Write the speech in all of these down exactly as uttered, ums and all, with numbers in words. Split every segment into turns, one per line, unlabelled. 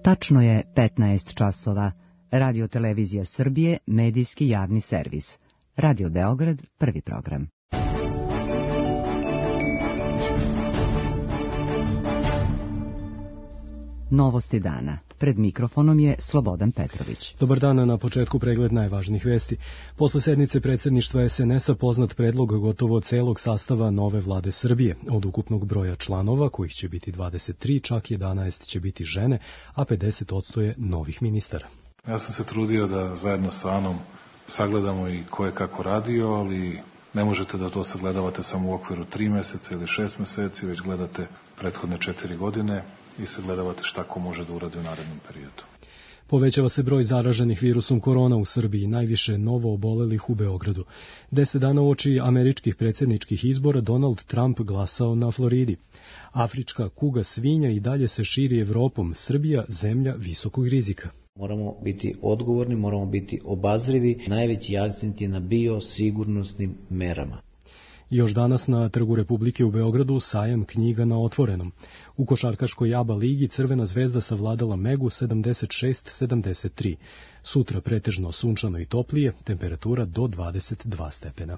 Tačno je petnaest časova. Radio Televizija Srbije, medijski javni servis. Radio Beograd, prvi program. Novosti dana. Pred mikrofonom je Slobodan Petrović.
Dobar dan, na početku pregled najvažnijih vesti. Posle sednice predsjedništva es en es a poznat predlog gotovo celog sastava nove vlade Srbije. Od ukupnog broja članova, kojih će biti dvadeset tri, čak jedanaest će biti žene, a pedeset posto je novih ministara.
Ja sam se trudio da zajedno sa Anom sagledamo i ko je kako radio, ali ne možete da to sagledavate samo u okviru tri meseca ili šest meseci, već gledate prethodne četiri godine i sagledavate šta ko može da uradi u narednom periodu.
Povećava se broj zaraženih virusom korona u Srbiji, najviše novo obolelih u Beogradu. Deset dana uoči američkih predsjedničkih izbora Donald Trump glasao na Floridi. Afrička kuga svinja i dalje se širi Evropom, Srbija zemlja visokog rizika.
Moramo biti odgovorni, moramo biti obazrivi. Najveći akcent je na biosigurnosnim merama.
Još danas na Trgu Republike u Beogradu sajam knjiga na otvorenom. U košarkaškoj ABA ligi Crvena zvezda savladala Megu sedamdeset šest sedamdeset tri. Sutra pretežno sunčano i toplije, temperatura do dvadeset dva stepena.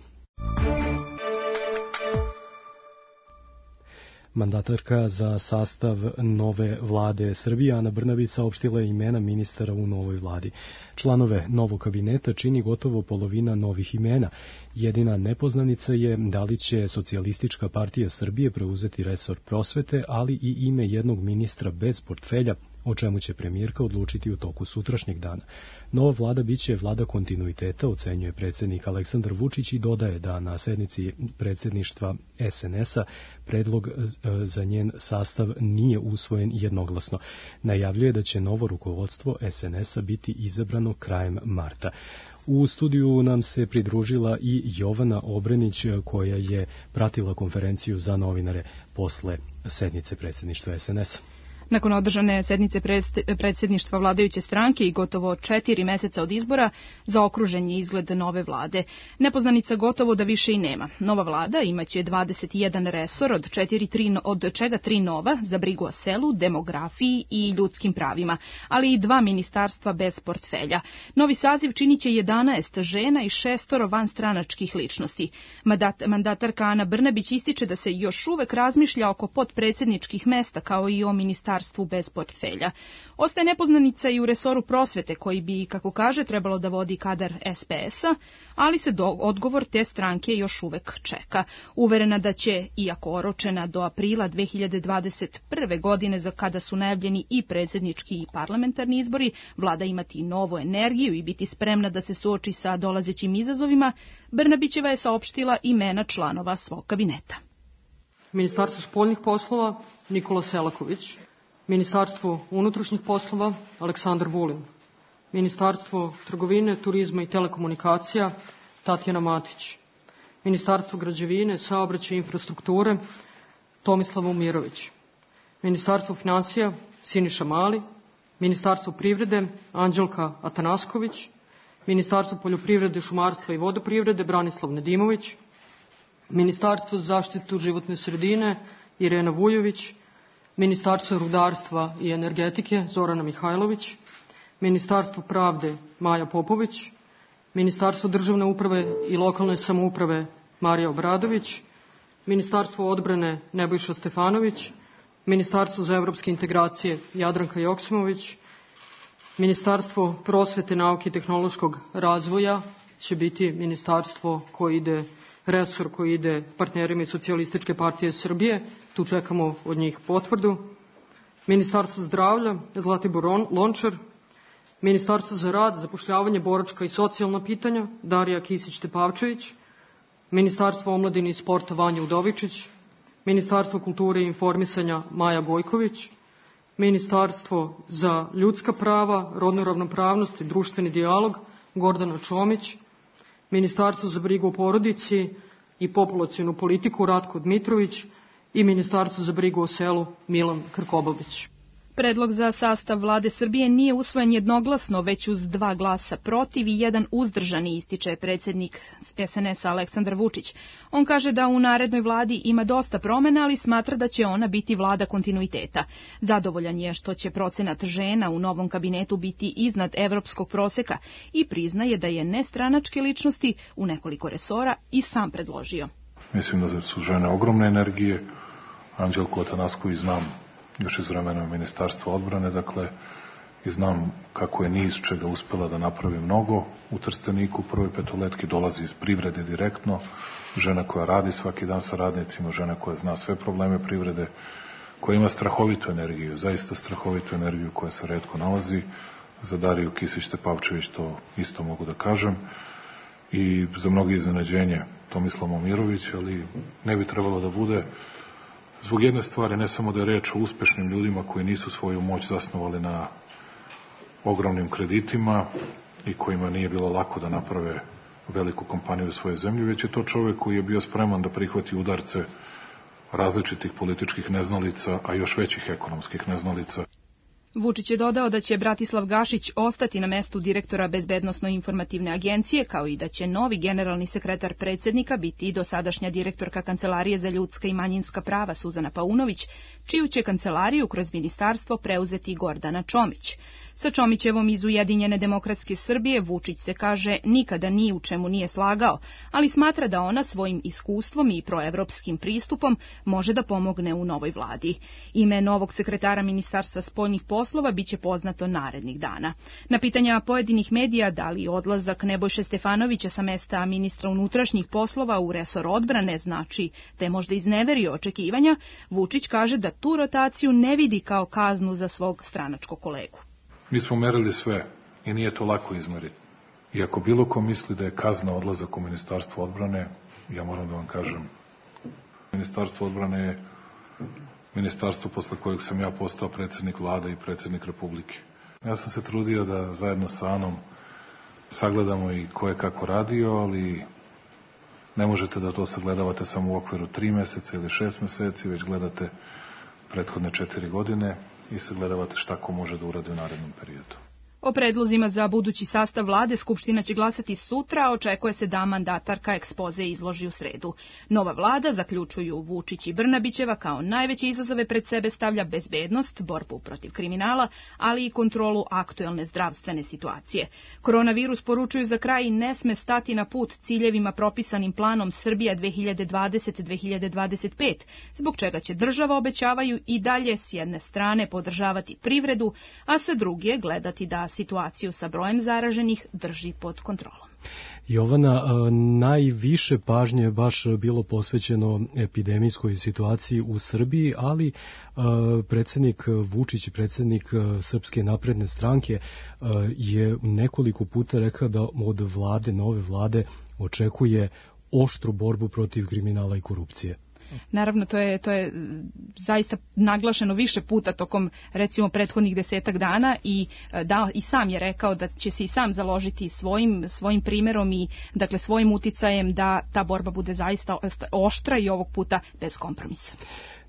Mandatarka za sastav nove vlade Srbije, Ana Brnabić, saopštila je imena ministara u novoj vladi. Članove novog kabineta čini gotovo polovina novih imena. Jedina nepoznanica je da li će Socijalistička partija Srbije preuzeti resor prosvete, ali i ime jednog ministra bez portfelja, o čemu će premijerka odlučiti u toku sutrašnjeg dana. Nova vlada biće vlada kontinuiteta, ocenjuje predsjednik Aleksandar Vučić i dodaje da na sednici predsjedništva es en es a predlog za njen sastav nije usvojen jednoglasno. Najavljuje da će novo rukovodstvo es en es a biti izabrano krajem marta. U studiju nam se pridružila i Jovana Obrenić, koja je pratila konferenciju za novinare posle sednice predsjedništva es en es a.
Nakon održane sednice predsjedništva vladajuće stranke i gotovo četiri meseca od izbora, zaokružen je izgled nove vlade. Nepoznanica gotovo da više i nema. Nova vlada imaće dvadeset jedan resor, od, četiri, tri, od čega tri nova za brigu o selu, demografiji i ljudskim pravima, ali i dva ministarstva bez portfelja. Novi saziv činit će jedanaest žena i šestoro vanstranačkih ličnosti. Mandat, mandatarka Ana Brnabić ističe da se još uvek razmišlja oko potpredsjedničkih mesta kao i o ministarstvu bez portfelja. Ostaje nepoznanica i u resoru prosvete, koji bi, kako kaže, trebalo da vodi kadar es pe es a, ali se do, odgovor te stranke još uvek čeka. Uverena da će, iako oročena do aprila dve hiljade dvadeset prve. godine, za kada su najavljeni i predsjednički i parlamentarni izbori, vlada imati novu energiju i biti spremna da se suoči sa dolazećim izazovima, Brnabićeva je saopštila imena članova svog kabineta.
Ministarstvo spoljnih poslova Nikola Selaković, Ministarstvo unutrašnjih poslova Aleksandar Vulin, Ministarstvo trgovine, turizma i telekomunikacija Tatjana Matić, Ministarstvo građevine, saobraćaja i infrastrukture Tomislav Momirović, Ministarstvo finansija Siniša Mali, Ministarstvo privrede Anđelka Atanasković, Ministarstvo poljoprivrede, šumarstva i vodoprivrede Branislav Nedimović, Ministarstvo za zaštitu životne sredine Irena Vujović, Ministarstvo rudarstva i energetike Zorana Mihajlović, Ministarstvo pravde Maja Popović, Ministarstvo državne uprave i lokalne samouprave Marija Obradović, Ministarstvo odbrane Nebojša Stefanović, Ministarstvo za evropske integracije Jadranka Joksimović, Ministarstvo prosvete, nauke i tehnološkog razvoja će biti ministarstvo koje ide resor koji ide partnerima iz Socijalističke partije Srbije, tu čekamo od njih potvrdu. Ministarstvo zdravlja Zlatibor Lončar, Ministarstvo za rad, zapošljavanje, boračka i socijalna pitanja Darija Kisić-Tepavčević, Ministarstvo omladine i sporta Vanja Udovičić, Ministarstvo kulture i informisanja Maja Gojković, Ministarstvo za ljudska prava, rodnu ravnopravnost i društveni dijalog Gordana Čomić, Ministarstvo za brigu o porodici i populacionu politiku Ratko Dmitrović i Ministarstvo za brigu o selu Milan Krkobabić.
Predlog za sastav vlade Srbije nije usvojen jednoglasno, već uz dva glasa protiv i jedan uzdržani, ističe predsjednik es en es a Aleksandar Vučić. On kaže da u narednoj vladi ima dosta promena, ali smatra da će ona biti vlada kontinuiteta. Zadovoljan je što će procenat žena u novom kabinetu biti iznad evropskog proseka i priznaje da je nestranačke ličnosti u nekoliko resora i sam predložio.
Mislim da su žene ogromne energije. Anđelku Atanasković znam još iz vremena Ministarstva odbrane, dakle, i znam kako je ni iz čega uspela da napravi mnogo. U Trsteniku prvoj petoletki dolazi iz privrede direktno, žena koja radi svaki dan sa radnicima, žena koja zna sve probleme privrede, koja ima strahovitu energiju, zaista strahovitu energiju koja se retko nalazi. Za Dariju Kisić-Tepavčević to isto mogu da kažem. I za mnogi iznenađenje Tomislav Momirović, ali ne bi trebalo da bude. Zbog jedne stvari, ne samo da je reč o uspešnim ljudima koji nisu svoju moć zasnovali na ogromnim kreditima i kojima nije bilo lako da naprave veliku kompaniju u svojoj zemlji, već je to čovek koji je bio spreman da prihvati udarce različitih političkih neznalica, a još većih ekonomskih neznalica.
Vučić je dodao da će Bratislav Gašić ostati na mestu direktora Bezbednosno-informativne agencije, kao i da će novi generalni sekretar predsjednika biti i dosadašnja direktorka Kancelarije za ljudska i manjinska prava Suzana Paunović, čiju će kancelariju kroz ministarstvo preuzeti Gordana Čomić. Sa Čomićevom iz Ujedinjene demokratske Srbije Vučić se, kaže, nikada ni u čemu nije slagao, ali smatra da ona svojim iskustvom i proevropskim pristupom može da pomogne u novoj vladi. Ime novog sekretara Ministarstva spoljnih poslova biće poznato narednih dana. Na pitanja pojedinih medija da li odlazak Nebojše Stefanovića sa mesta ministra unutrašnjih poslova u resor odbrane znači da je možda izneverio očekivanja, Vučić kaže da tu rotaciju ne vidi kao kaznu za svog stranačkog kolegu.
Mi smo merili sve i nije to lako izmeriti. I ako bilo ko misli da je kazna odlazak u Ministarstvo odbrane, ja moram da vam kažem, Ministarstvo odbrane je ministarstvo posle kojeg sam ja postao predsjednik vlade i predsjednik Republike. Ja sam se trudio da zajedno sa Anom sagledamo i ko je kako radio, ali ne možete da to sagledavate samo u okviru tri meseca ili šest meseci, već gledate prethodne četiri godine i sagledavate šta ko može da uradi u narednom periodu.
O predlozima za budući sastav vlade Skupština će glasati sutra, a očekuje se da mandatarka ekspoze izloži u sredu. Nova vlada, zaključuju Vučić i Brnabićeva, kao najveće izazove pred sebe stavlja bezbednost, borbu protiv kriminala, ali i kontrolu aktuelne zdravstvene situacije. Koronavirus, poručuju za kraj, ne sme stati na put ciljevima propisanim planom Srbija dve hiljade dvadesete do dve hiljade dvadeset pete, zbog čega će država, obećavaju, i dalje s jedne strane podržavati privredu, a sa druge gledati da situaciju sa brojem zaraženih drži pod kontrolom.
Jovana, najviše pažnje je baš bilo posvećeno epidemijskoj situaciji u Srbiji, ali predsjednik Vučić i predsjednik Srpske napredne stranke je nekoliko puta rekao da od vlade, nove vlade, očekuje oštru borbu protiv kriminala i korupcije.
Naravno, to je, to je zaista naglašeno više puta tokom, recimo, prethodnih desetak dana i da, i sam je rekao da će se i sam založiti svojim, svojim primjerom i, dakle, svojim uticajem da ta borba bude zaista oštra i ovog puta bez kompromisa.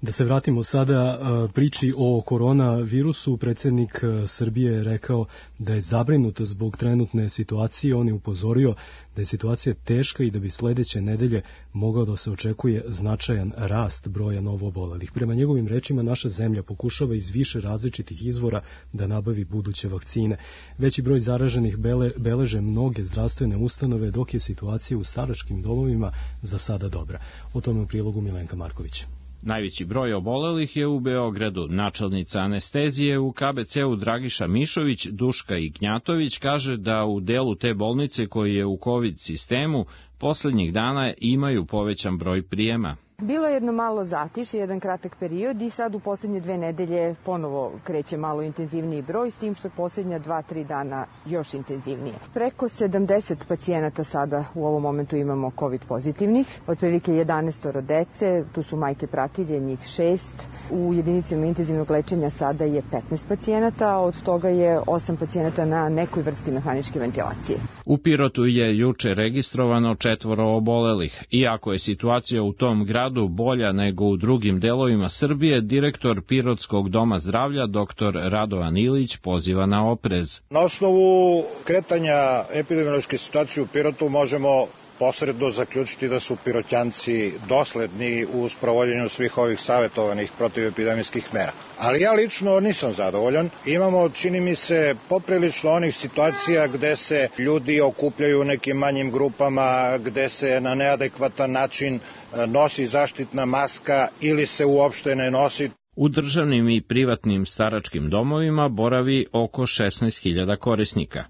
Da se vratimo sada priči o koronavirusu. Predsjednik Srbije je rekao da je zabrinut zbog trenutne situacije. On je upozorio da je situacija teška i da bi sledeće nedelje mogao da se očekuje značajan rast broja novoobolelih. Prema njegovim rečima, naša zemlja pokušava iz više različitih izvora da nabavi buduće vakcine. Veći broj zaraženih bele, beleže mnoge zdravstvene ustanove, dok je situacija u staračkim domovima za sada dobra. O tome u prilogu Milenka Marković.
Najveći broj obolelih je u Beogradu. Načelnica anestezije u ka be ce u Dragiša Mišović, Duška Ignjatović, kaže da u delu te bolnice koji je u COVID sistemu poslednjih dana imaju povećan broj prijema.
Bilo je jedno malo zatišje, jedan kratak period i sad u posljednje dve nedelje ponovo kreće malo intenzivniji broj, s tim što posljednja dva, tri dana još intenzivnije. Preko sedamdeset pacijenata sada u ovom momentu imamo COVID pozitivnih, otprilike jedanaest dece, tu su majke pratilje, njih šest. U jedinicama intenzivnog lečenja sada je petnaest pacijenata, od toga je osam pacijenata na nekoj vrsti mehaničke ventilacije.
U Pirotu je juče registrovano četvoro obolelih. Iako je situacija u tom gradu gradu bolja nego u drugim delovima Srbije, direktor Pirotskog doma zdravlja dr Radovan Ilić poziva na oprez.
Na osnovu kretanja epidemiološke situacije u Pirotu možemo posredno zaključiti da su Pirotjanci dosledni u sprovođenju svih ovih savjetovanih protivepidemijskih mera. Ali ja lično nisam zadovoljan. Imamo, čini mi se, poprilično onih situacija gde se ljudi okupljaju u nekim manjim grupama, gde se na neadekvatan način nosi zaštitna maska ili se uopšte ne nosi.
U državnim i privatnim staračkim domovima boravi oko šesnaest hiljada korisnika.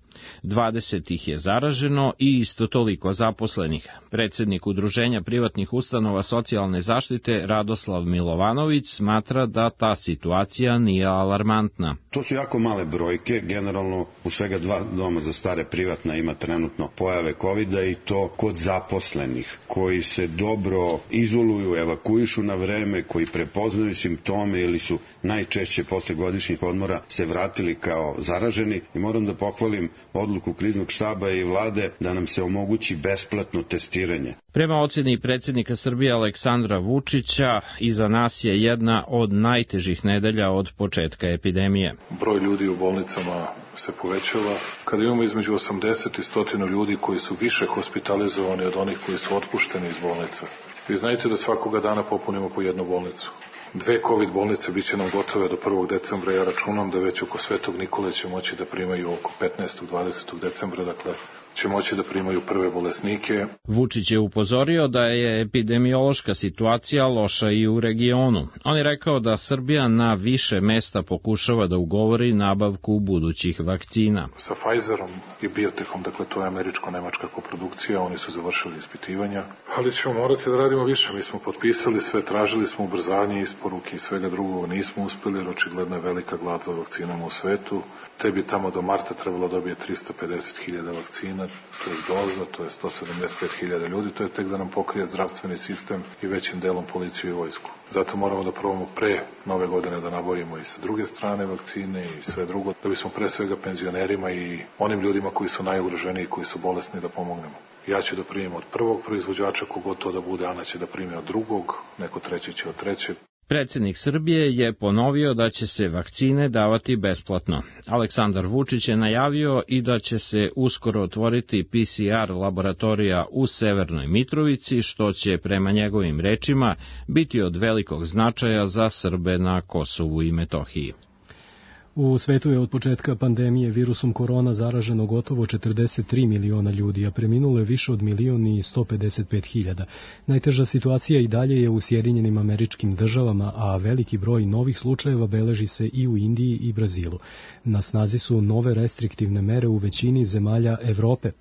dvadeset ih je zaraženo i isto toliko zaposlenih. Predsednik Udruženja privatnih ustanova socijalne zaštite Radoslav Milovanović smatra da ta situacija nije alarmantna.
To su jako male brojke, generalno u svega dva doma za stare privatna ima trenutno pojave kovida i to kod zaposlenih, koji se dobro izoluju, evakuišu na vreme, koji prepoznaju simptome ili su najčešće posle godišnjih odmora se vratili kao zaraženi i moram da pohvalim odluku kriznog štaba i vlade da nam se omogući besplatno testiranje.
Prema oceni predsjednika Srbije Aleksandra Vučića, iza nas je jedna od najtežih nedelja od početka epidemije.
Broj ljudi u bolnicama se povećava. Kada imamo između osamdeset i sto ljudi koji su više hospitalizovani od onih koji su otpušteni iz bolnica. Vi znajte da svakoga dana popunimo po jednu bolnicu. Dve COVID bolnice bit će nam gotove do prvog decembra, ja računam da već oko Svetog Nikole će moći da primaju oko petnaestog do dvadesetog decembra, dakle će moći da primaju prve bolesnike.
Vučić je upozorio da je epidemiološka situacija loša i u regionu. On je rekao da Srbija na više mesta pokušava da ugovori nabavku budućih vakcina.
Sa Pfizerom i Biotechom, dakle to je američko-nemačka koprodukcija, oni su završili ispitivanja, ali ćemo morati da radimo više. Mi smo potpisali sve, tražili smo ubrzanje isporuke i svega drugog, nismo uspeli jer očigledno je velika glad za vakcinama u svetu. Te bi tamo do marta trebalo dobije tristo pedeset hiljada vakcina, to je doza, to je sto sedamdeset pet hiljada ljudi, to je tek da nam pokrije zdravstveni sistem i većim delom policiju i vojsku. Zato moramo da probamo pre nove godine da nabavimo i sa druge strane vakcine i sve drugo, da bismo pre svega penzionerima i onim ljudima koji su najugroženiji, koji su bolesni, da pomognemo. Ja ću da primim od prvog proizvođača, kogod to da bude, Ana će da primi od drugog, neko treći će od trećeg.
Predsednik Srbije je ponovio da će se vakcine davati besplatno. Aleksandar Vučić je najavio i da će se uskoro otvoriti P C R laboratorija u Severnoj Mitrovici, što će prema njegovim rečima biti od velikog značaja za Srbe na Kosovu i Metohiji.
U svetu je od početka pandemije virusom korona zaraženo gotovo četrdeset tri miliona ljudi, a preminulo je više od milion i sto pedeset pet hiljada. Najteža situacija i dalje je u Sjedinjenim Američkim Državama, a veliki broj novih slučajeva beleži se i u Indiji i Brazilu. Na snazi su nove restriktivne mere u većini zemalja Evrope.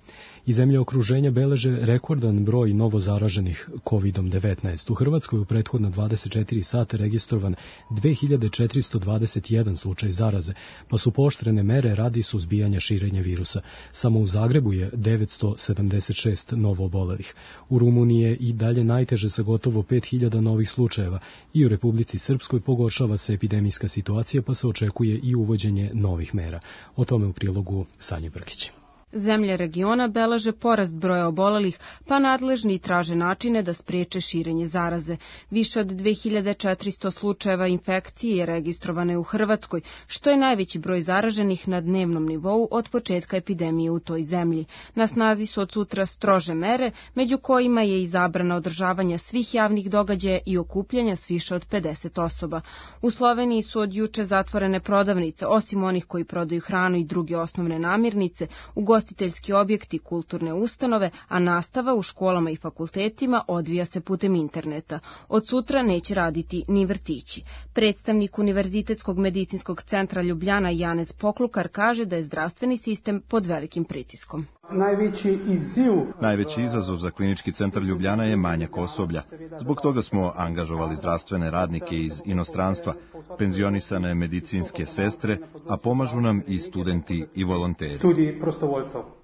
I zemlje okruženja beleže rekordan broj novozaraženih kovidom devetnaest. U Hrvatskoj u prethodna dvadeset četiri sata registrovan dve hiljade četiristo dvadeset jedan slučaj zaraze, pa su pooštrene mere radi suzbijanja širenja virusa. Samo u Zagrebu je devetsto sedamdeset šest novoobolelih. U Rumuniji je i dalje najteže sa gotovo pet hiljada novih slučajeva i u Republici Srpskoj pogoršava se epidemijska situacija, pa se očekuje i uvođenje novih mera. O tome u prilogu Sanje Brkić.
Zemlje regiona beleže porast broja obolelih, pa nadležni traže načine da spriječe širenje zaraze. Više od dve hiljade četiristo slučajeva infekcije je registrovane u Hrvatskoj, što je najveći broj zaraženih na dnevnom nivou od početka epidemije u toj zemlji. Na snazi su od sutra strože mere, među kojima je i zabrana održavanja svih javnih događaja i okupljanja s više od pedeset osoba. U Sloveniji su od juče zatvorene prodavnice, osim onih koji prodaju hranu i druge osnovne namirnice, ugostiteljski objekti, kulturne ustanove, a nastava u školama i fakultetima odvija se putem interneta. Od sutra neće raditi ni vrtići. Predstavnik Univerzitetskog medicinskog centra Ljubljana Janez Poklukar kaže da je zdravstveni sistem pod velikim pritiskom.
Najveći izziv.
Najveći izazov za klinički centar Ljubljana je manjak osoblja. Zbog toga smo angažovali zdravstvene radnike iz inostranstva, penzionisane medicinske sestre, a pomažu nam i studenti i volonteri.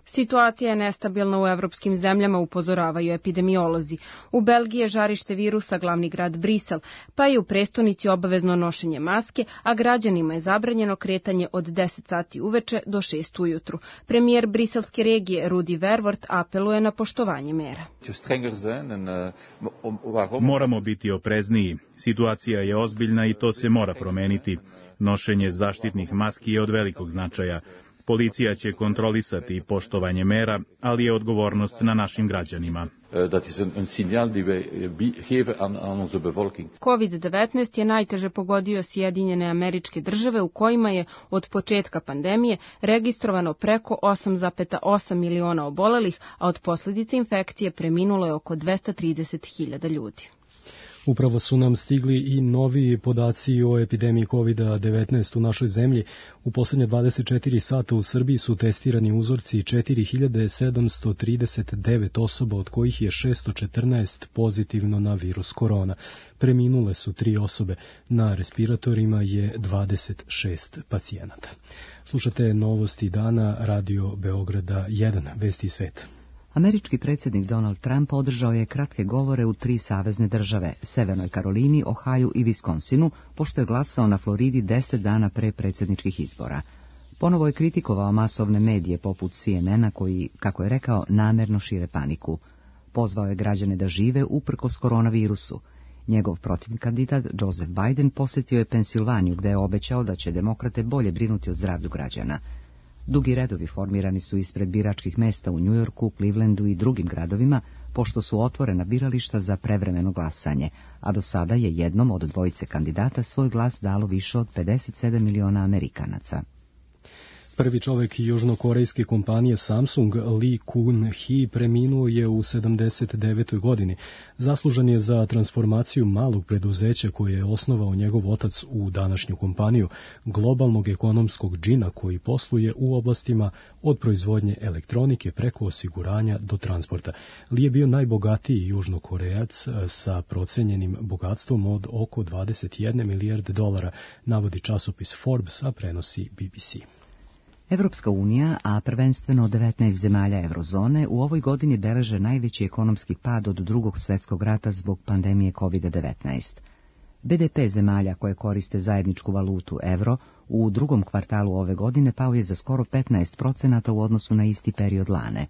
Situacija je nestabilna u evropskim zemljama, upozoravaju epidemiolozi. U Belgiji je žarište virusa glavni grad Brisel, pa je u prestonici obavezno nošenje maske, a građanima je zabranjeno kretanje od deset sati uveče do šest ujutru. Premijer briselske regije Rudi Verwoerd apeluje na poštovanje mera.
Moramo biti oprezniji. Situacija je ozbiljna i to se mora promeniti. Nošenje zaštitnih maski je od velikog značaja. Policija će kontrolisati poštovanje mera, ali je odgovornost na našim građanima.
kovid devetnaest je najteže pogodio Sjedinjene Američke Države, u kojima je od početka pandemije registrovano preko osam zarez osam miliona obolelih, a od posljedica infekcije preminulo je oko dvesta trideset hiljada ljudi.
Upravo su nam stigli i novi podaci o epidemiji kovid devetnaest u našoj zemlji. U posljednje dvadeset četiri sata u Srbiji su testirani uzorci četiri hiljade sedamsto trideset devet osoba, od kojih je šesto četrnaest pozitivno na virus korona. Preminule su tri osobe, na respiratorima je dvadeset šest pacijenata. Slušate novosti dana, Radio Beograda jedan, Vesti sveta.
Američki predsjednik Donald Trump održao je kratke govore u tri savezne države, Severnoj Karolini, Ohaju i Viskonsinu, pošto je glasao na Floridi deset dana pre predsjedničkih izbora. Ponovo je kritikovao masovne medije poput C N N-a koji, kako je rekao, namerno šire paniku. Pozvao je građane da žive uprkos koronavirusu. Njegov protivni kandidat, Joseph Biden, posjetio je Pensilvaniju, gde je obećao da će demokrate bolje brinuti o zdravlju građana. Dugi redovi formirani su ispred biračkih mesta u Njujorku, Clevelandu i drugim gradovima, pošto su otvorena birališta za prevremeno glasanje, a do sada je jednom od dvojice kandidata svoj glas dalo više od pedeset sedam miliona Amerikanaca.
Prvi čovjek južnokorejske kompanije Samsung, Lee Kun-hee, preminuo je u sedamdeset devetoj godini. Zaslužan je za transformaciju malog preduzeća koje je osnovao njegov otac u današnju kompaniju, globalnog ekonomskog džina koji posluje u oblastima od proizvodnje elektronike preko osiguranja do transporta. Lee je bio najbogatiji južnokorejac sa procenjenim bogatstvom od oko dvadeset jedne milijarde dolara, navodi časopis Forbes, a prenosi B B C.
Evropska unija, a prvenstveno devetnaest zemalja eurozone, u ovoj godini beleže najveći ekonomski pad od drugog svjetskog rata zbog pandemije kovid devetnaest. B D P zemalja koje koriste zajedničku valutu euro u drugom kvartalu ove godine pao je za skoro petnaest procenata u odnosu na isti period lane.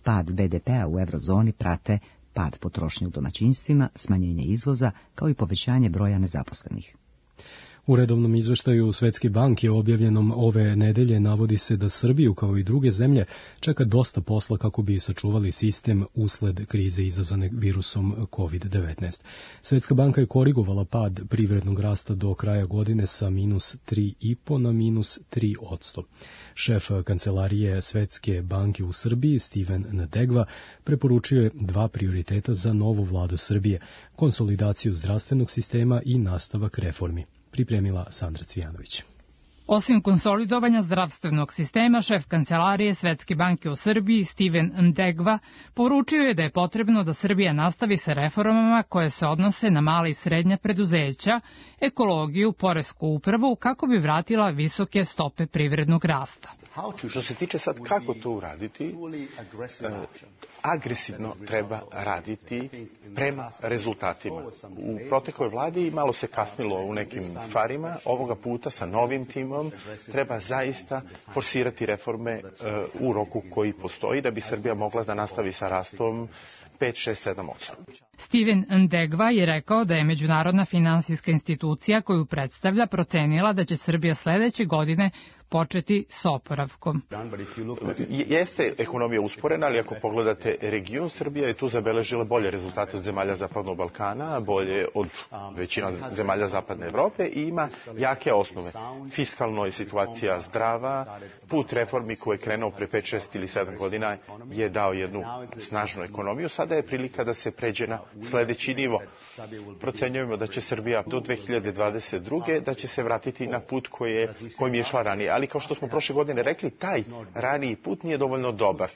Pad B D P-a u eurozoni prate pad potrošnje u domaćinstvima, smanjenje izvoza, kao i povećanje broja nezaposlenih.
U redovnom izveštaju Svetske banke objavljenom ove nedelje navodi se da Srbiju, kao i druge zemlje, čeka dosta posla kako bi sačuvali sistem usled krize izazvane virusom kovid devetnaest. Svetska banka je korigovala pad privrednog rasta do kraja godine sa minus tri zarez pet na minus tri posto. Šef kancelarije Svetske banke u Srbiji, Steven Ndegva, preporučio je dva prioriteta za novu vladu Srbije, konsolidaciju zdravstvenog sistema i nastavak reformi. Pripremila Sandra Cvijanović.
Osim konsolidovanja zdravstvenog sistema, šef kancelarije Svetske banke u Srbiji, Steven Ndegva, poručio je da je potrebno da Srbija nastavi sa reformama koje se odnose na mala i srednja preduzeća, ekologiju, poresku upravu, kako bi vratila visoke stope privrednog rasta.
Što se tiče sad kako to uraditi, agresivno treba raditi prema rezultatima. U protekloj vladi malo se kasnilo u nekim stvarima, ovoga puta sa novim timom treba zaista forsirati reforme u roku koji postoji da bi Srbija mogla da nastavi sa rastom pet, šest, sedam, osam.
Steven Ndegva je rekao da je međunarodna finansijska institucija koju predstavlja procenila da će Srbija sledeće godine početi s oporavkom.
Jeste ekonomija usporena, ali ako pogledate region, Srbija je tu zabeležila bolje rezultate od zemalja Zapadnog Balkana, bolje od većina zemalja Zapadne Evrope i ima jake osnove. Fiskalno je situacija zdrava, put reformi koji je krenuo pre pet, šest ili sedam godina je dao jednu snažnu ekonomiju. Sada je prilika da se pređe na sledeći nivo. Procenjujemo da će Srbija do dve hiljade dvadeset druge da će se vratiti na put koje, kojim je išla ranije. Ali kao što smo prošle godine rekli, taj raniji put nije dovoljno dobar.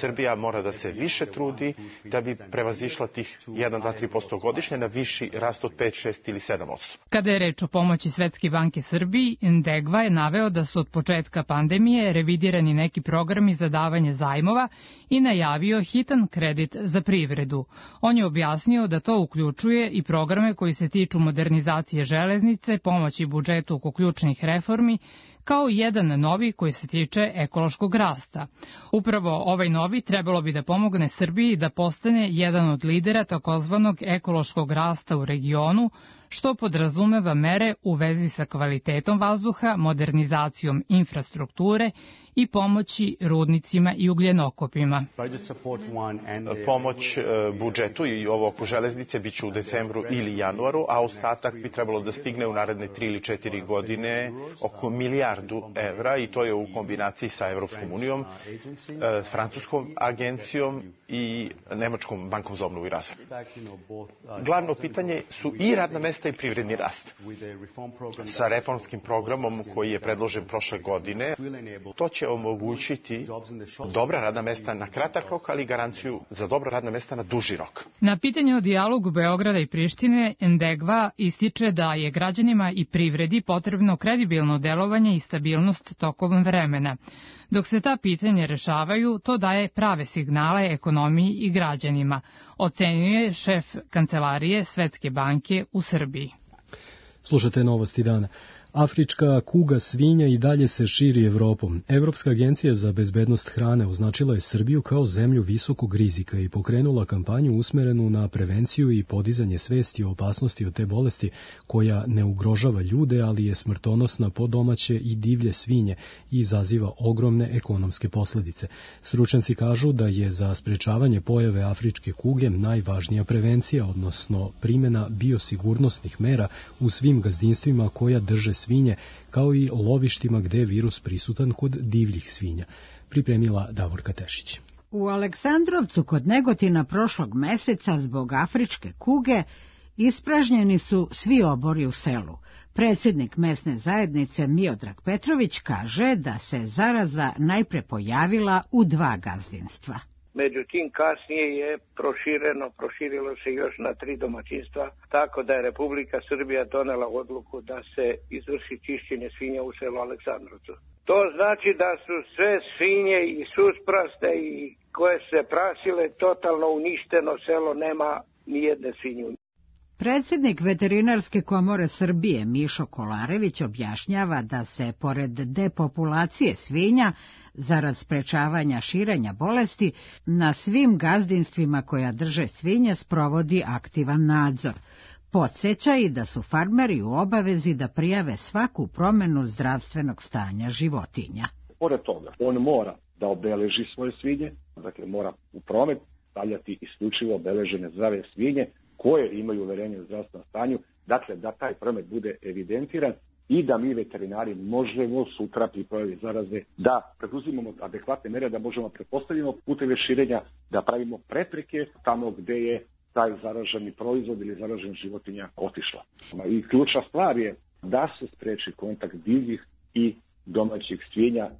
Srbija mora da se više trudi da bi prevazišla tih jedan, dva, tri posto godišnje na viši rast od pet, šest ili sedam posto.
Kada je reč o pomoći Svetske banke Srbiji, Ndegva je naveo da su od početka pandemije revidirani neki programi za davanje zajmova i najavio hitan kredit za privredu. On je objasnio da to uključuje i programe koji se tiču modernizacije železnice, pomoći budžetu oko ključnih reformi, kao i jedan novi koji se tiče ekološkog rasta. Upravo ovaj novi trebalo bi da pomogne Srbiji da postane jedan od lidera takozvanog ekološkog rasta u regionu, što podrazumeva mere u vezi sa kvalitetom vazduha, modernizacijom infrastrukture i pomoći rudnicima i ugljenokopima.
Pomoć budžetu i ovo oko železnice biće u decembru ili januaru, a ostatak bi trebalo da stigne u naredne tri ili četiri godine oko milijardu evra i to je u kombinaciji sa Evropskom unijom, Francuskom agencijom i Nemačkom bankom za obnovu i razvoj. Glavno pitanje su i radna mesta i privredni rast. Sa reformskim programom koji je predložen prošle godine, to će omogućiti dobra radna mesta na kratak rok, ali garanciju za dobra radna mesta na duži rok.
Na pitanje o dijalogu Beograda i Prištine, Ndegva ističe da je građanima i privredi potrebno kredibilno delovanje i stabilnost tokom vremena. Dok se ta pitanja rešavaju, to daje prave signale ekonomiji i građanima, ocenjuje šef Kancelarije Svetske banke u Srbiji.
Slušate Novosti dana. Afrička kuga svinja i dalje se širi Evropom. Evropska agencija za bezbednost hrane označila je Srbiju kao zemlju visokog rizika i pokrenula kampanju usmerenu na prevenciju i podizanje svesti o opasnosti od te bolesti koja ne ugrožava ljude, ali je smrtonosna po domaće i divlje svinje i izaziva ogromne ekonomske posledice. Stručnjaci kažu da je za sprečavanje pojave afričke kuge najvažnija prevencija, odnosno primjena biosigurnosnih mera u svim gazdinstvima koja drže svinje, kao i lovištima gde je virus prisutan kod divljih svinja. Pripremila Davorka Tešić.
U Aleksandrovcu kod Negotina prošlog meseca zbog afričke kuge ispražnjeni su svi obori u selu. Predsjednik mesne zajednice Miodrag Petrović kaže da se zaraza najpre pojavila u dva gazdinstva.
Međutim, kasnije je prošireno, proširilo se još na tri domaćinstva, tako da je Republika Srbija donela odluku da se izvrši čišćenje svinja u selu Aleksandrovcu. To znači da su sve svinje i suspraste i koje se prasile totalno uništeno, selo nema ni jedne svinje.
Predsjednik Veterinarske komore Srbije Mišo Kolarević objašnjava da se, pored depopulacije svinja, zarad sprečavanja širenja bolesti, na svim gazdinstvima koja drže svinje sprovodi aktivan nadzor. Podsjeća i da su farmeri u obavezi da prijave svaku promjenu zdravstvenog stanja životinja.
Pored toga, on mora da obeleži svoje svinje, dakle mora u promet stavljati isključivo obeležene zdrave svinje, koje imaju uverenje o zdravstvenom stanju, dakle da taj promet bude evidentiran i da mi veterinari možemo sutra pri pojavi zaraze da preduzimamo adekvatne mere, da možemo pretpostavljeno puteve širenja, da pravimo prepreke tamo gde je taj zaraženi proizvod ili zaražena životinja otišla. I ključna stvar je da se spreči kontakt divljih i domaćih svinja.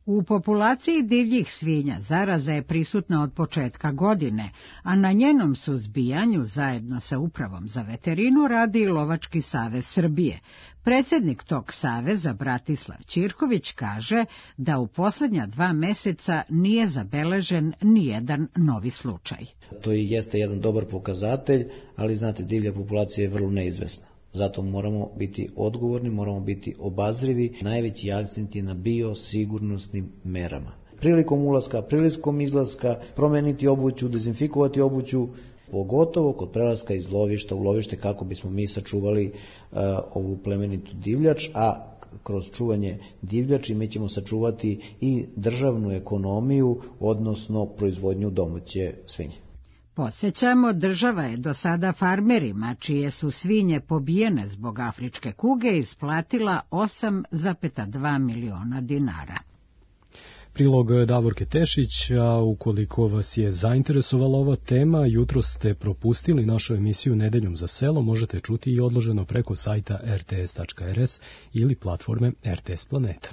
U populaciji divljih svinja zaraza je prisutna od početka godine, a na njenom suzbijanju zajedno sa Upravom za veterinu radi i Lovački savez Srbije. Predsjednik tog saveza Bratislav Ćirković kaže da u posljednja dva meseca nije zabeležen nijedan novi slučaj.
To i jeste jedan dobar pokazatelj, ali znate, divlja populacija je vrlo neizvesna. Zato moramo biti odgovorni, moramo biti obazrivi, najveći akcent je na biosigurnosnim merama. Prilikom ulaska, prilikom izlaska, promeniti obuću, dezinfikovati obuću, pogotovo kod prelaska iz lovišta u lovište kako bismo mi sačuvali uh, ovu plemenitu divljač, a kroz čuvanje divljači mi ćemo sačuvati i državnu ekonomiju, odnosno proizvodnju domaće svinje.
Podsjećamo, država je do sada farmerima, čije su svinje pobijene zbog afričke kuge, isplatila osam zarez dva miliona dinara.
Prilog Davorke Tešić, a ukoliko vas je zainteresovala ova tema, jutro ste propustili našu emisiju Nedeljom za selo, možete čuti i odloženo preko sajta er te es tačka er es ili platforme er te es Planeta.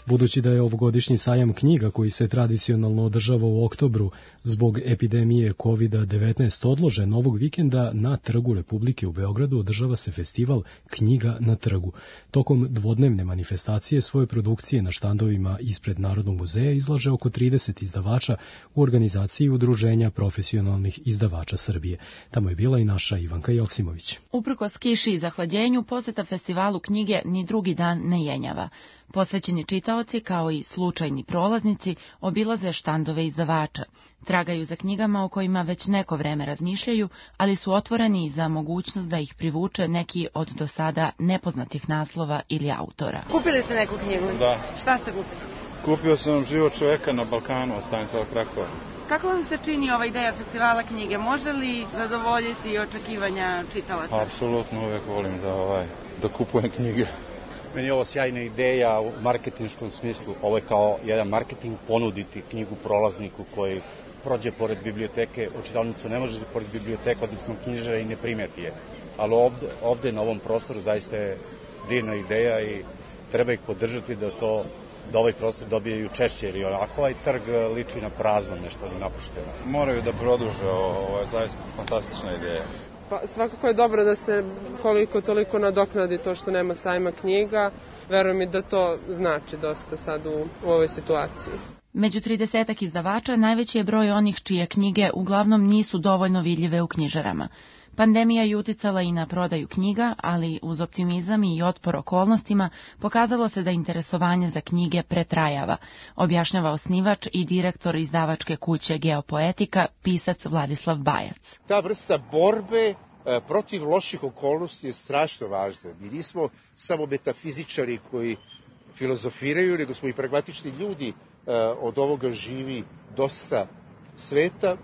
Budući da je ovogodišnji sajam knjiga koji se tradicionalno održava u oktobru zbog epidemije kovid devetnaest odložen, ovog vikenda na Trgu Republike u Beogradu održava se festival Knjiga na trgu. Tokom dvodnevne manifestacije svoje produkcije na štandovima ispred Narodnog muzeja izlaže oko trideset izdavača u organizaciji Udruženja profesionalnih izdavača Srbije. Tamo je bila i naša Ivanka Joksimović.
Uprkos kiši i zahlađenju, poseta festivalu knjige ni drugi dan ne jenjava. Posvećeni čitaoci, kao i slučajni prolaznici, obilaze štandove izdavača. Tragaju za knjigama o kojima već neko vreme razmišljaju, ali su otvoreni za mogućnost da ih privuče neki od do sada nepoznatih naslova ili autora.
Kupili ste neku knjigu?
Da.
Šta ste kupili?
Kupio sam Život čoveka na Balkanu od Stanislava Krakova.
Kako vam se čini ova ideja festivala knjige? Može li zadovoljiti očekivanja čitalaca?
Apsolutno, uvek volim da, ovaj, da kupujem knjige.
Meni je ovo sjajna ideja u marketinškom smislu. Ovo je kao jedan marketing, ponuditi knjigu prolazniku koji prođe pored biblioteke. U čitaonicu ne može pored biblioteke, odnosno knjižara, i ne primeti je. Ali ovde, ovde na ovom prostoru zaista je divna ideja i treba ih podržati da to da ovaj prostor dobijaju češće, jer onako ovaj trg liči na prazno, nešto napušteno.
Moraju da produže, ovo je zaista fantastična ideja.
Pa, svakako je dobro da se koliko toliko nadoknadi to što nema sajma knjiga. Verujem mi da to znači dosta sad u, u ovoj situaciji.
Među tridesetak izdavača najveći je broj onih čije knjige uglavnom nisu dovoljno vidljive u knjižarama. Pandemija je uticala i na prodaju knjiga, ali uz optimizam i otpor okolnostima pokazalo se da interesovanje za knjige pretrajava, objašnjava osnivač i direktor izdavačke kuće Geopoetika, pisac Vladislav Bajac.
Ta vrsta borbe protiv loših okolnosti je strašno važna. Mi nismo samo metafizičari koji filozofiraju, nego smo i pragmatični ljudi. Od ovoga živi dosta sveta,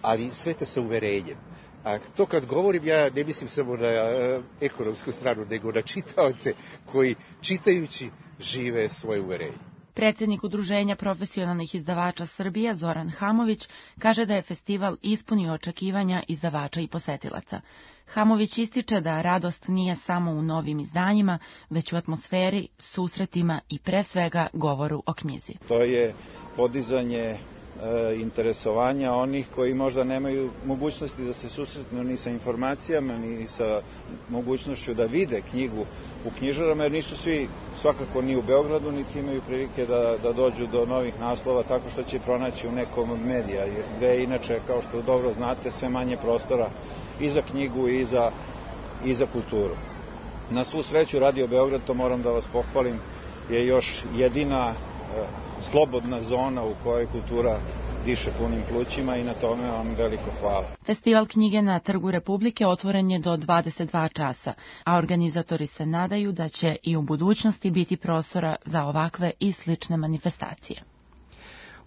ali sveta sa uverenjem. A to kad govorim, ja ne mislim samo na ekonomsku stranu, nego na čitaoce koji čitajući žive svoje uverenje.
Predsjednik Udruženja profesionalnih izdavača Srbije, Zoran Hamović, kaže da je festival ispunio očekivanja izdavača i posetilaca. Hamović ističe da radost nije samo u novim izdanjima, već u atmosferi, susretima i pre svega govoru o knjizi.
To je podizanje interesovanja onih koji možda nemaju mogućnosti da se susretnu ni sa informacijama, ni sa mogućnošću da vide knjigu u knjižarama, jer nisu svi svakako ni u Beogradu, niti imaju prilike da, da dođu do novih naslova tako što će pronaći u nekom od medija, gde je inače, kao što dobro znate, sve manje prostora i za knjigu i za, i za kulturu. Na svu sreću, Radio Beograd, to moram da vas pohvalim, je još jedina slobodna zona u kojoj kultura diše punim plućima i na tome vam veliko hvala.
Festival knjige na Trgu Republike otvoren je do dvadeset dva časa, a organizatori se nadaju da će i u budućnosti biti prostora za ovakve i slične manifestacije.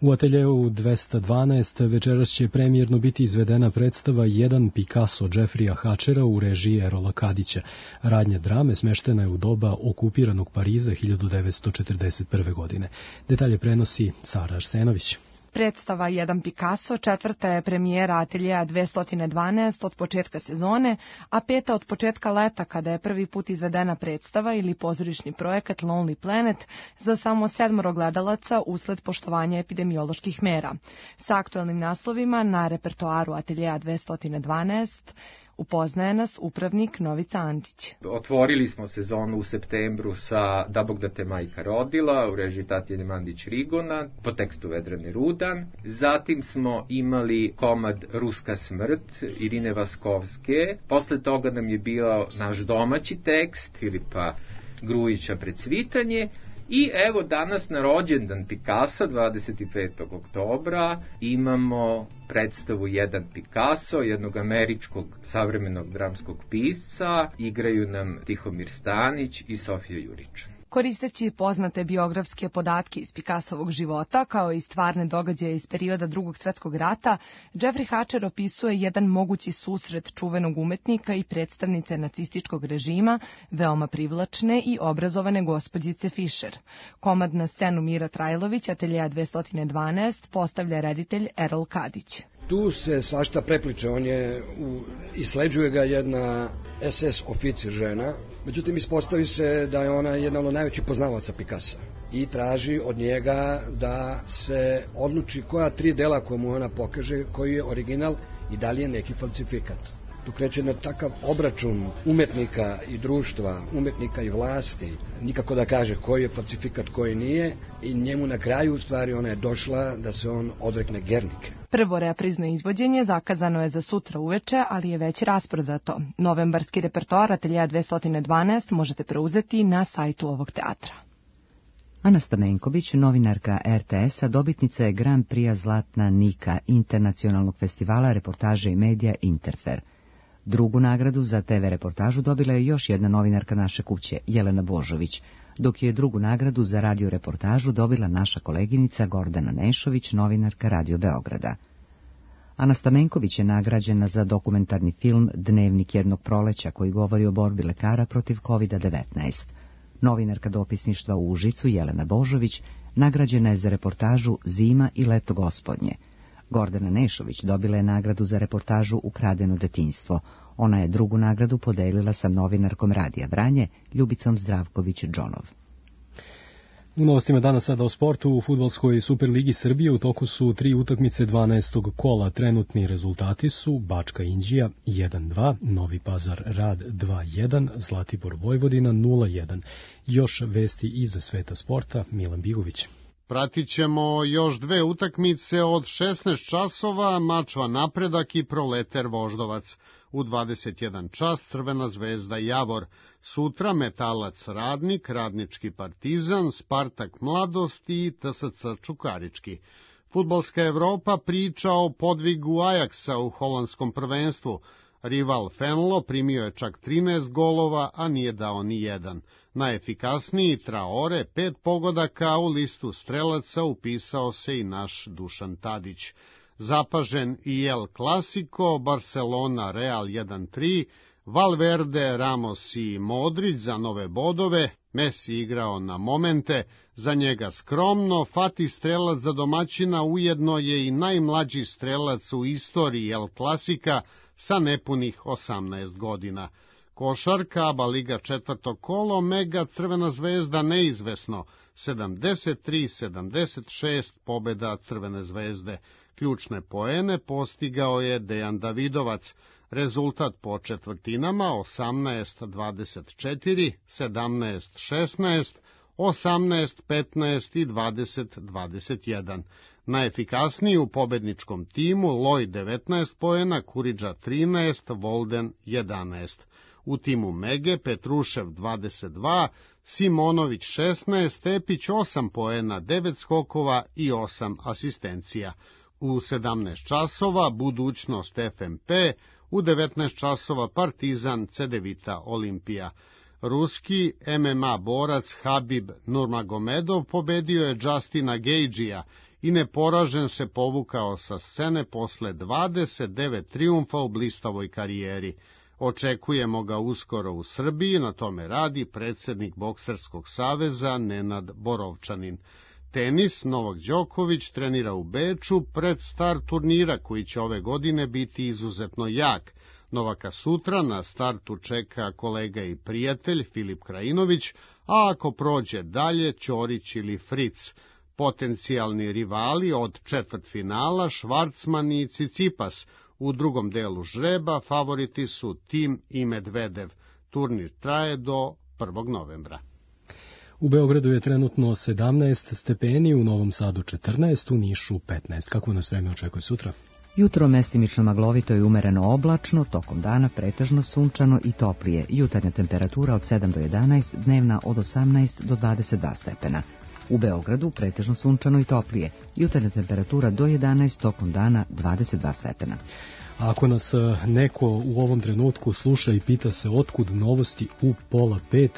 U ateljeu dvesta dvanaest večeras će premijerno biti izvedena predstava Jedan Picasso Jeffreya Hatchera u režiji Erola Kadića. Radnja drame smeštena je u doba okupiranog Pariza hiljadu devetsto četrdeset prve. godine. Detalje prenosi Sara Arsenović.
Predstava Jedan Picasso četvrta je premijera ateljeja dvesta dvanaest od početka sezone, a peta od početka leta kada je prvi put izvedena predstava ili pozorišni projekat Lonely Planet za samo sedmoro gledalaca usled poštovanja epidemioloških mera. Sa aktuelnim naslovima na repertoaru ateljeja dvesta dvanaest upoznaje nas upravnik Novica Antić.
Otvorili smo sezonu u septembru sa Da Bog da te majka rodila u režiji Tatjane Mandić-Rigona po tekstu Vedrane Rudan. Zatim smo imali komad Ruska smrt Irine Vaskovske. Posle toga nam je bio naš domaći tekst Filipa Grujića Precvitanje. I evo danas na rođendan Picassa, dvadeset petog oktobra, imamo predstavu Jedan Picasso, jednog američkog savremenog dramskog pisca. Igraju nam Tihomir Stanić i Sofija Jurić.
Koristeći poznate biografske podatke iz Picassovog života, kao i stvarne događaje iz perioda Drugog svjetskog rata, Jeffrey Hatcher opisuje jedan mogući susret čuvenog umetnika i predstavnice nacističkog režima, veoma privlačne i obrazovane gospođice Fischer. Komad na scenu Mira Trajlović, ateljeja dvesta dvanaest, postavlja reditelj Erol Kadić.
tu se svašta prepliče, on je, u, isleđuje ga jedna es es oficir žena, međutim ispostavi se da je ona jedna od najvećih poznavaca Picassa i traži od njega da se odluči koja tri dela koje mu ona pokaže, koji je original i da li je neki falsifikat. Tu kreće na takav obračun umetnika i društva, umetnika i vlasti, nikako da kaže koji je falsifikat, koji nije, i njemu na kraju u stvari ona je došla da se on odrekne Gernike.
Prvo reprizno izvođenje zakazano je za sutra uveče, ali je već rasprodato. Novembarski repertoar Ateljea dvesta dvanaest možete preuzeti na sajtu ovog teatra.
Ana Stamenković, novinarka er te esa, dobitnica je Grand Prix Zlatna Nika, internacionalnog festivala reportaže i medija Interfer. Drugu nagradu za te ve reportažu dobila je još jedna novinarka naše kuće, Jelena Božović, dok je drugu nagradu za radio reportažu dobila naša koleginica Gordana Nešović, novinarka Radio Beograda. Ana Stamenković je nagrađena za dokumentarni film Dnevnik jednog proleća, koji govori o borbi lekara protiv kovid devetnaest. Novinarka dopisništva u Užicu, Jelena Božović, nagrađena je za reportažu Zima i leto gospodnje. Gordana Nešović dobila je nagradu za reportažu Ukradeno detinjstvo. Ona je drugu nagradu podelila sa novinarkom Radija Vranje, Ljubicom Zdravković-Džonov.
U novostima danas sada o sportu. U fudbalskoj Superligi Srbije u toku su tri utakmice dvanaestog kola. Trenutni rezultati su Bačka Inđija jedan dva, Novi Pazar Rad dva jedan, Zlatibor Vojvodina nula jedan. Još vesti iz sveta sporta, Milan Bigović.
Pratit ćemo još dve utakmice od šesnaest časova, Mačva Napredak i Proleter Voždovac. U dvadeset jedan čas Crvena Zvezda Javor. Sutra Metalac Radnik, Radnički Partizan, Spartak Mladost i te es ce Čukarički. Fudbalska Evropa priča o podvigu Ajaksa u holandskom prvenstvu. Rival Fenlo primio je čak trinaest golova, a nije dao ni jedan. Najefikasniji Traore, pet pogodaka, u listu strelaca upisao se i naš Dušan Tadić. Zapažen i El Clasico, Barcelona Real jedan tri, Valverde, Ramos i Modrić za nove bodove, Messi igrao na momente, za njega skromno, Fati strelac za domaćina ujedno je i najmlađi strelac u istoriji El Klasika sa nepunih osamnaest godina. Košarka, Aba Liga četvrto kolo, Mega Crvena Zvezda neizvesno, sedamdeset tri sedamdeset šest pobeda Crvene Zvezde. Ključne poene postigao je Dejan Davidovac. Rezultat po četvrtinama osamnaest dvadeset četiri, sedamnaest šesnaest, osamnaest petnaest i dvadeset dvadeset jedan. Najefikasniji u pobedničkom timu Loj devetnaest poena, Kuriđa trinaest, Volden jedanaest. U timu Mege Petrušev dvadeset dva, Simonović šesnaest, Tepić osam poena, devet skokova i osam asistencija. U sedamnaest časova budućnost ef em pe, u devetnaest časova Partizan Cedevita Olimpija. Ruski em em a borac Habib Nurmagomedov pobedio je Justina Gagea i neporažen se povukao sa scene posle dvadeset devet trijumfa u blistavoj karijeri. Očekujemo ga uskoro u Srbiji, na tome radi predsednik Bokserskog saveza Nenad Borovčanin. Tenis, Novak Đoković trenira u Beču pred start turnira koji će ove godine biti izuzetno jak. Novaka sutra na startu čeka kolega i prijatelj Filip Krajinović, a ako prođe dalje Ćorić ili Fric. Potencijalni rivali od četvrtfinala Švarcman i Cicipas. U drugom delu žreba favoriti su Tim i Medvedev. Turnir traje do prvog novembra.
U Beogradu je trenutno sedamnaest stepeni, u Novom Sadu četrnaest, u Nišu petnaest. Kako nas vreme očekuje sutra?
Jutro mestimično maglovito i umereno oblačno, tokom dana pretežno sunčano i toplije. Jutarnja temperatura od sedam do jedanaest, dnevna od osamnaest do dvadeset dva stepena. U Beogradu pretežno sunčano i toplije. Jutarnja temperatura do jedanaest, tokom dana dvadeset dva stepena.
A ako nas neko u ovom trenutku sluša i pita se otkud novosti u pola pet,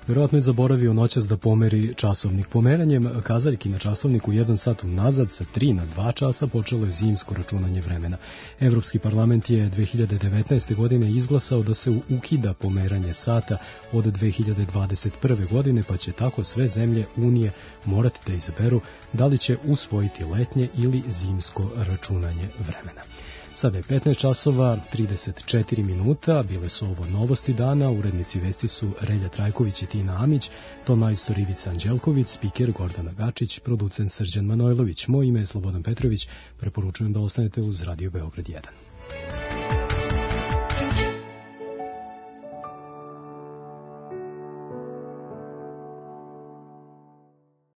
vjerojatno je zaboravio noćas da pomeri časovnik. Pomeranjem kazaljki na časovniku jedan sat unazad sa tri na dva časa počelo je zimsko računanje vremena. Evropski parlament je dve hiljade devetnaeste. godine izglasao da se ukida pomeranje sata od dve hiljade dvadeset prve. godine, pa će tako sve zemlje Unije morati da izaberu da li će usvojiti letnje ili zimsko računanje vremena. Sada je petnaest časova, trideset četiri minuta, bile su ovo novosti dana, urednici vesti su Relja Trajković i Tina Amić, ton majstor Ivica Anđelković, spiker Gordana Gačić, producent Srđan Manojlović. Moje ime je Slobodan Petrović, preporučujem da ostanete uz Radio Beograd jedan.